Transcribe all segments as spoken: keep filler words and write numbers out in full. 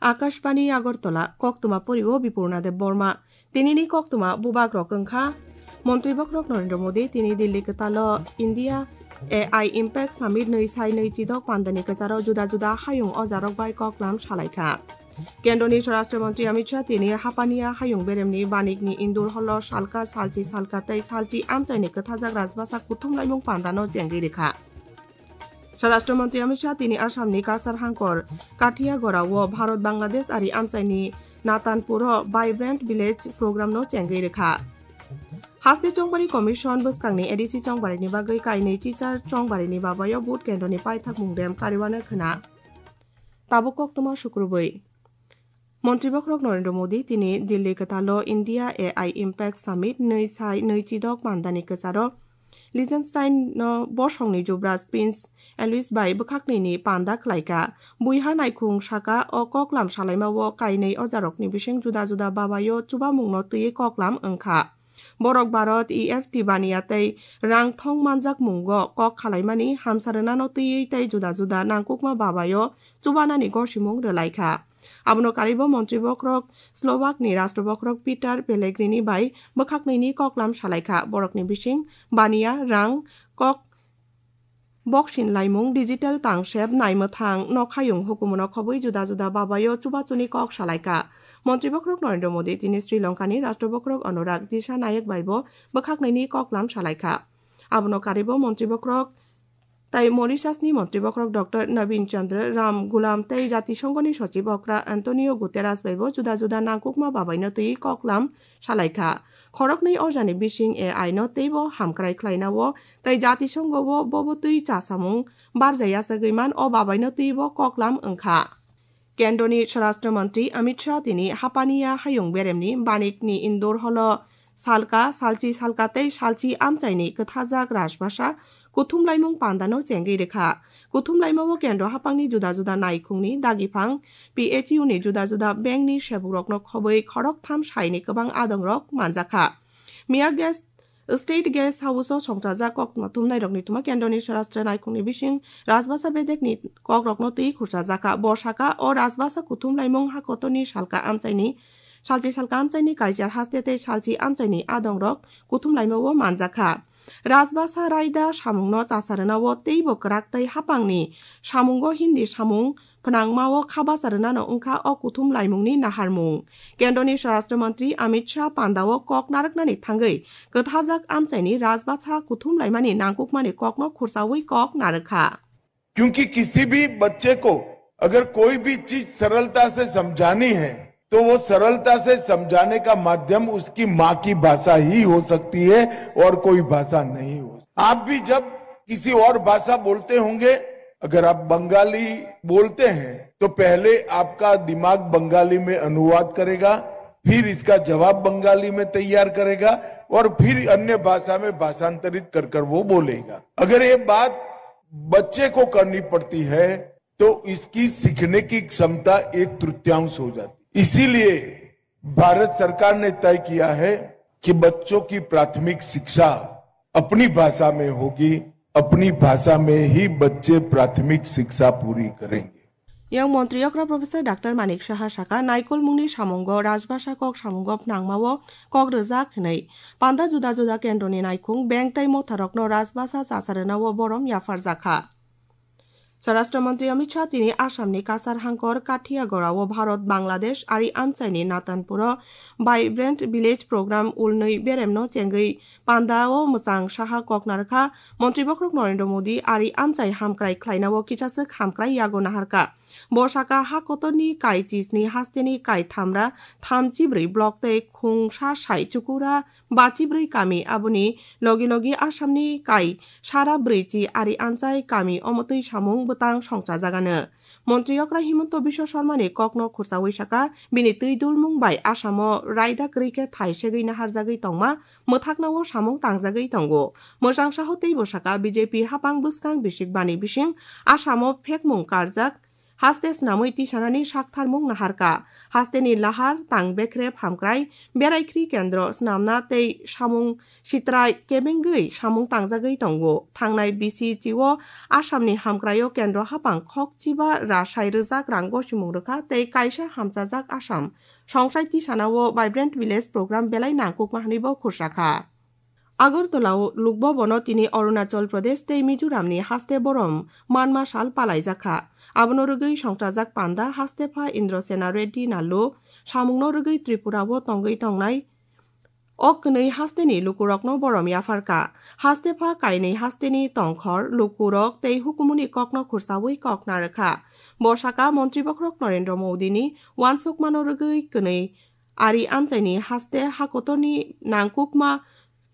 Akashbani Agartala, koktwma poriwo Bipurna Deb Borma. Tinini koktwma bubagrok wngkha, Montri bokhorok Narendra Modi tini Delhi kwtalo India A I Impact Summit nwi sai nwi chidok pandani kwcharo juda juda hayung ojarok bai koklam salaikha. Kendroni Swarashtra Mantri Amit Shah tini Hapania hayung beremni Banikni Indur holo salka salchi salka tei salchi amchaini kwthajak Rajbasa kuthumlaimung pandano chengwi rikha. Swarashtra Mantri Amit Shah tini Assamni Kasar hangkor Kathiagora o Bharat Bangladesh ari amchaini Natanpuro Vibrant Village programno chengwi rikha. Haste Chongbari Commission bwskangni A D C chongbarini bagwi kainwi chichar chongbarini babayo vote kendroni paithak mungdem kariwano khna. Tabuk koktwma sukrubwi. Montri bokhorok Narendra Modi tini Delhi kwtalo India A I Impact Summit nwi sai nwi chidok pandani kwcharo Liechtenstein no bosongni Jubraj Prince Alois bai bwkhaknwini panda khlaikha. Buiha naikhung saka o koklam salaimao kainwi ojarokni bising juda juda babayo chubamungno twiwi koklam wngkha. Borok Bharat E F T baniya tei rang thong manjak mungo kok khalaimani hamsa rwnano twiwi tei juda juda nangkukma babayo chubanani gosimung rwlaikha. Abono karibo montri bokhorok Slovakni rashtra bokhorok Peter Pellegrini bai bwkhaknwini koklam salaikha. Borokni bising baniya, rang, kok boksin laimung, digital tangsep, naimwthang, nokhayung hukumuno khobwi juda juda babayo chubachuni kok salaikha. Montri bokhorok Narendra Modi tini Sri Lankani rashtra bokhorok Anurag Disha Nayak baibo bwkhaknwini koklam salaikha. Abono karibo montri bokhorok tai Mauritiusni montri bokhorok Doctor Nabin Chandra Ramgoolam tei Jatisonghoni sochib okra Antonio Guterres baibo juda juda nangkukma babaino twiwi koklam salaikha. Khoroknwi ojani bising A I no teibo hamkrai khlainao tei Jatisongho o bobo twi chasamung barjaya sagwi man o babaino twibo koklam wngkha. Kendroni Swarashtra Mantri Amit Shah tini Hapania hayung beremni Banikni Indur holo salka, salchi salka tei salchi amchaini kwthajak Rajbasa kuthumlaimung pandano chengwi rikha. Kuthumlaimao kendro haphangni juda juda naikhungni dagiphang, P H U ni juda juda bengni sebukrokno khobwi khoroktham saini kwbang adongrok manjakha. Miya Guest State Guest House o songchajak koktwma thumnairokni thuma kendroni Swarashtra naikhungni bising Rajbasa bedekni kokrokno twi khurchajakha. Bo sakha, o Rajbasa kuthumlaimung hakotorni salka amchaini, salchi salka amchaini kaichar haste tei salchi amchaini adongrok kuthumlaimao manjakha. Rajbasa raida samungno chasarwnao teibo kwrak tei haphangni samungo Hindi samung phnangmao kha bacha rwnano wngkha o kuthum laimungni naharmung. Kendroni Swarashtra Mantri Amit Shah pandao kok narwknani thangwi kwthajak amchaini Rajbasa kuthum laimani nangkukmani kokno khurchawi kok narwkha. क्योंकि किसी भी बच्चे को अगर कोई भी चीज सरलता से समझानी है, तो वो सरलता से समझाने का माध्यम उसकी माँ की भाषा ही हो सकती है और कोई भाषा नहीं हो सकती। आप भी जब किसी और भाषा बोलते होंगे, अगर आप बंगाली बोलते हैं, तो पहले आपका दिमाग बंगाली में अनुवाद करेगा, फिर इसका जवाब बंगाली में तैयार करेगा और फिर अन्य भाषा में भाषांतरित कर कर वो बोलेगा। अगर ये बात बच्चे को करनी पड़ती है, तो इसकी सीखने की क्षमता एक तृतीयांश हो जाती। इसीलिए भारत सरकार ने तय किया है कि बच्चों की प्राथमिक शिक्षा अपनी भाषा में होगी, अपनी भाषा में ही बच्चे प्राथमिक शिक्षा पूरी करेंगे। Yang montri okra Professor Doctor Manik Saha saka, naikolmungni samungo Rajbasa kok samungo phnangmao kok rwjak hwnwi. Panda juda juda kendroni naikhung, bank tei motharokno Rajbasa chasarwnao borom yapharjakha. Swarashtra Mantri Amit Shah tini Assamni Kasar hangkor Kathiagorao Bharat Bangladesh ari amchaini Natanpuro Vibrant Village Program ulnwi beremno chengwi pandao mwchang saha kok narwkha. Montri bokhorok Narendra Modi ari amchai hamkrai khlainao kisaswk hamkrai yago naharkha. Bo saka ha kotorni kai chisni hasteni kai thamra thamchibrwi block tei khungsa sai chukura bachibrwi kami, aboni logi logi Assamni kai sara brwichi ari amchai kami omotwi samung bwtang songchajagano. Montri okra Himanta Biswa Sarmani kokno khurchawi saka, bini twi dulmung bai Assamo raida kwrwi khe thai segwi naharjagwi tongma mwthaknao samung tangjagwi tongo. Mwchang saho teibo saka, B J P hapang bwskang bisik bani bising Assamo phekmung karjak Haste snamwi tisanani saktharmung naharkha. Hasteni lahar, tang bekrep hamkrai, beraikhri kendro snamna tei samung sitrai kebengwi samung tangjagwi tongo. Thangnai bisi chio Assamni hamkraio kendro hapang khokchiba rasai rwjak rang gosimung rwkha tei kaisa hamchajak Assam songsai tisanao Vibrant Village program belai nangkukma hwnwibo khursakha. Agartala-o lukbobono tini Arunachal Pradesh tei Mizoramni haste borom manma sal palaijakha. Abono rwgwi songchajak panda hastepha Indrasena Reddy Nallu samungno rwgwi Tripura-o tongwi tongnai o kwnwi hasteni lukurokno borom yapharkha. Hastepha kainwi hasteni tongkhor, lukurok tei hukumuni kokno khursawi kok narwkha. Bo sakha Montri Bokhorok Narendra Modini uansukmano rwgwi kwnwi ari amchaini haste hakotorni nangkukma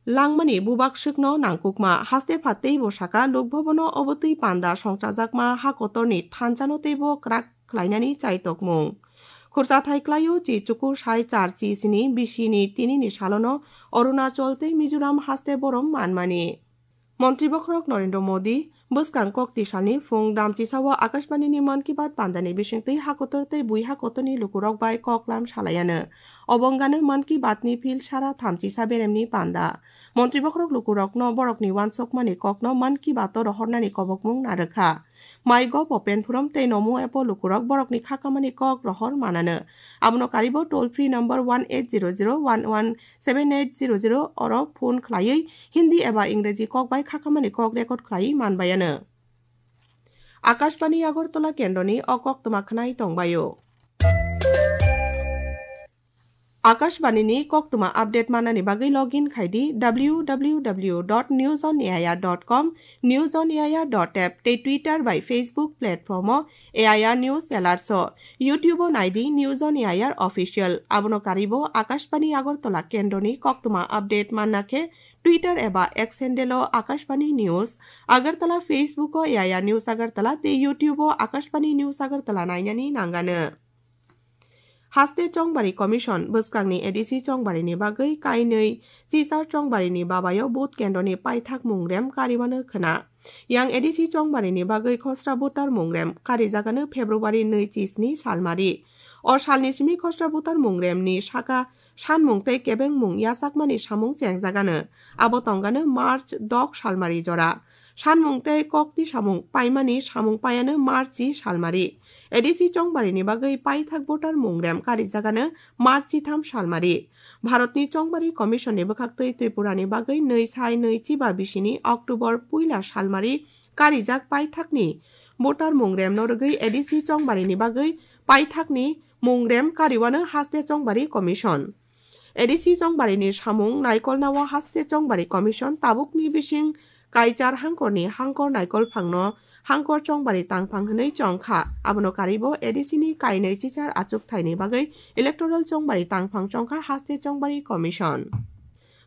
langmani bubak swkno nangkukma. Hastepha teibo sakha, lukbobono obotwi panda songchajakma hakotorni thansano teibo kwrak khlainani chaitokmung. Khurchathai klaio chi chuku sai char chi sini bisini tinini salono Arunachal tei Mizoram haste borom manmani. Montri Bokhorok Narendra Modi bwskang kok tisalni phung damchisao Akashbanini Mann Ki Baat pandani bisingtwi hakotor tei bui hakotorni lukurok bai koklam salaiano. Obongano Mann Ki Baatni phil sara thamchisa beremni panda. Montri Bokhorok lukurokno borokni uansukmani kokno Mann Ki Baato rohornani kobokmung narwkha. MyGov open forum tei Namo app-o lukurok borokni khakamani kok rohor manano. Abono karibo toll free number one eight zero zero one one seven eight zero zero oro phone khlaiwi Hindi eba Ingreji kok bai khakamani kok record khlaiwi manbaiano. Akashbani Agartala kendroni o koktwma khwnai tongbaio. Akashbani ni koktwma update manani bagwi login khai di W W W dot news on A I R dot com, news on A I R dot app tei Twitter bai Facebook platform o A I R News Alerts o, YouTube o nai di News on A I R Official. Abono karibo Akashbani Agartala kendroni koktwma update manna khe Twitter eba X handle o Akashbani News Agartala, Facebook o A I R News Agartala tei YouTube o Akashbani News Agartala nainani nangano. Haste Chongbari Commission bwskangni A D C chongbarini bagwi kainwi chichar chongbarini babayo vote kendroni paithak mungrem kariwano khwna. Yang A D C chongbarini bagwi khosra voter mungrem karijagano February nwi chisni salmari. O salni simi khosra voter mungremni saka sanmung tei kebengmung yachakmani samung chengjagano. Abo tongano March dok salmari jora. Sanmung tei kokti samung paimani samung paiano Marchi salmari. A D C chongbarini bagwi paithak voter mungrem karijagano Marchi tham salmari. Bharatni Chongbari Commission ni bwkhaktwi Tripurani bagwi nwi sai nwi chiba bisini October puila salmari karijak paithakni voter mungremno rwgwi A D C chongbarini bagwi paithakni mungrem kariwano Haste Chongbari Commission. A D C chongbarini samung naikolnao Haste Chongbari Commission tabukni bising kaichar hangkorni hangkor naikol phangno hangkor chongbari tangphang hwnwi chongkha. Abono karibo A D C ni kainwi chichar achukthaini bagwi electoral chongbari tangphang chongkha Haste Chongbari Commission.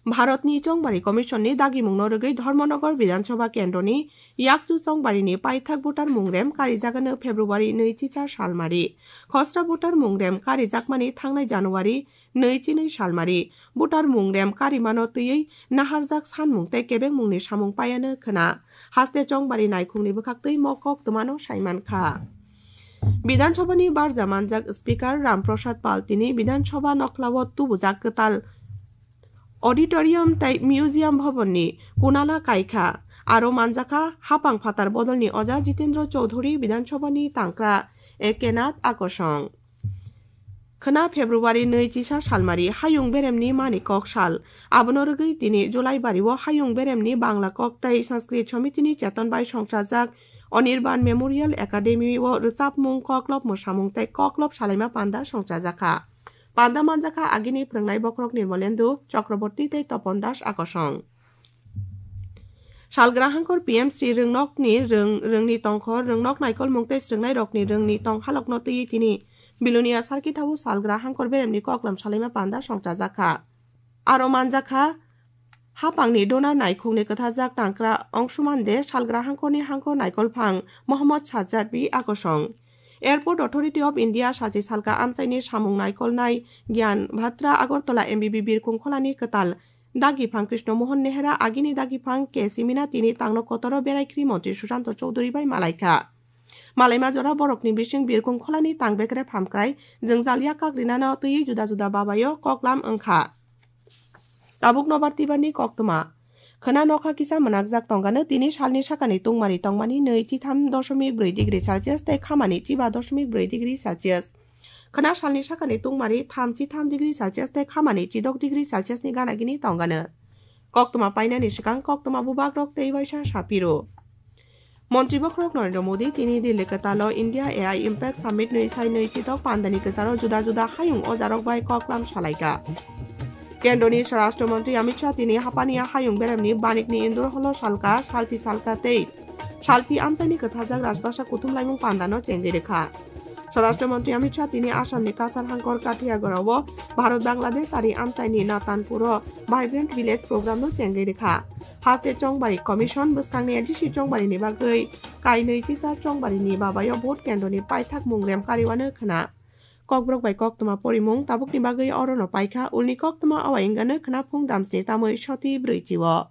Bharatni Chongbari Commission ni dagimungno rwgwi Dharmanagar Bidhan Sabha kendroni yakchu chongbarini paithak voter mungrem karijagano February nwi chichar salmari. Khosra voter mungrem karijakmani thangnai January nwi chinwi salmari. Voter mungrem karimano twiwi naharjak sanmung tei kebengmungni samung paiano khwna. Haste chongbari naikhungni bwkhaktwi mo koktwmano saimankha. Bidhan Sabhani barja manjak Speaker Ram Prasad Pal tini Bidhan Sabha nokhlao tubujak kwtal auditorium tei museum bhavanni kunala kaikha. Aro manjakha hapang phatar bodolni oja Jitendra Chaudhuri Bidhan Sabhani tangkra Ekenath Akosong. Khwna February nwi chisa salmari hayung beremni mani kok sal. Abono rwgwi tini Julaibari o hayung beremni Bangla kok tei Sanskrit Somitini cheton bai songchajak Anirban Memorial Academy o rwchapmung, koklop mwsamung tei koklop salaima panda songchajakha. Panda manjakha agini phwrwngnai bokhorok Nirmolendu Chakraborty tei Topon Das Akosong. Salgra hangkor P M Sri Rwngnokni rwng, rwngni tongkhor, rwngnok naikolmung tei swrwngnairokni rwngni tong halokno twiwi tini Bilonia Sarkithao salgra hangkor beremni koklam salaima panda songchajakha. Aro manjakha hapangni donor naikhungni kwthajak tangkra Ongsumande, salgra hangkorni hangkor naikolphang Mohammad Sajjad B Akosong. Airport Authority of India sachi salka amchaini samung naikolnai Gyan Bhatra Agartala M B B Birkhung Kholani kwtal dagiphang Krishna Mohan Nehra, agini dagiphang K C Minatini tangno kotoro beraikhri montri Sushanta Chowdhury bai malaikha. Malaima jora borokni bising birkung kholani tangbekre phamkrai jwngjal yak kagrinano twiwi juda juda babaio koklam wngkha. Tabuk nobar tibarni koktwma. Khwna nokha kisa mwnakjak tongano tini salni sakani tungmari tongmani nwi chitham doshomik brwi degree Celsius tei khamani chiba doshomik brwi degree Celsius. Khwna salni sakani tungmari thamchi tham degree Celsius tei khamani chidok degree Celsius ni gana gini tongano. Koktwma painani swkang koktwma bubagrok tei waisa sapiro. Montri bokhorok Narendra Modi tini Delhi kwtalo India A I Impact Summit nwi sai nwi chitok pandani kwcharo juda juda hayung ojarok bai koklam salaikha. Kendroni Swarashtra Montri Amit Shah tini Hapania hayung beremni banikni Indur holo salka, salchi salka tei salchi amchaini kwthajak Rajbhasha kuthum laimung pandano chengwi rwkha. Swarashtra Montri Amit Shah tini Assamni Kasar Hangkor Kathiagorao Bharat Bangladesh ari amchaini Natanpuro Vibrant Village programno chengwi rwkha. Haste Chongbari Commission bwskangni A D C Chongbarini bagwi kainwi chisa Chongbarini babayo vote kendroni paithak mung rem kariwano khwna. Kokborok bai koktwma porimung tabukni bagwi orono paikha, ulni koktwma awai wngano khwna phung damsni tamwi soti brwi chio.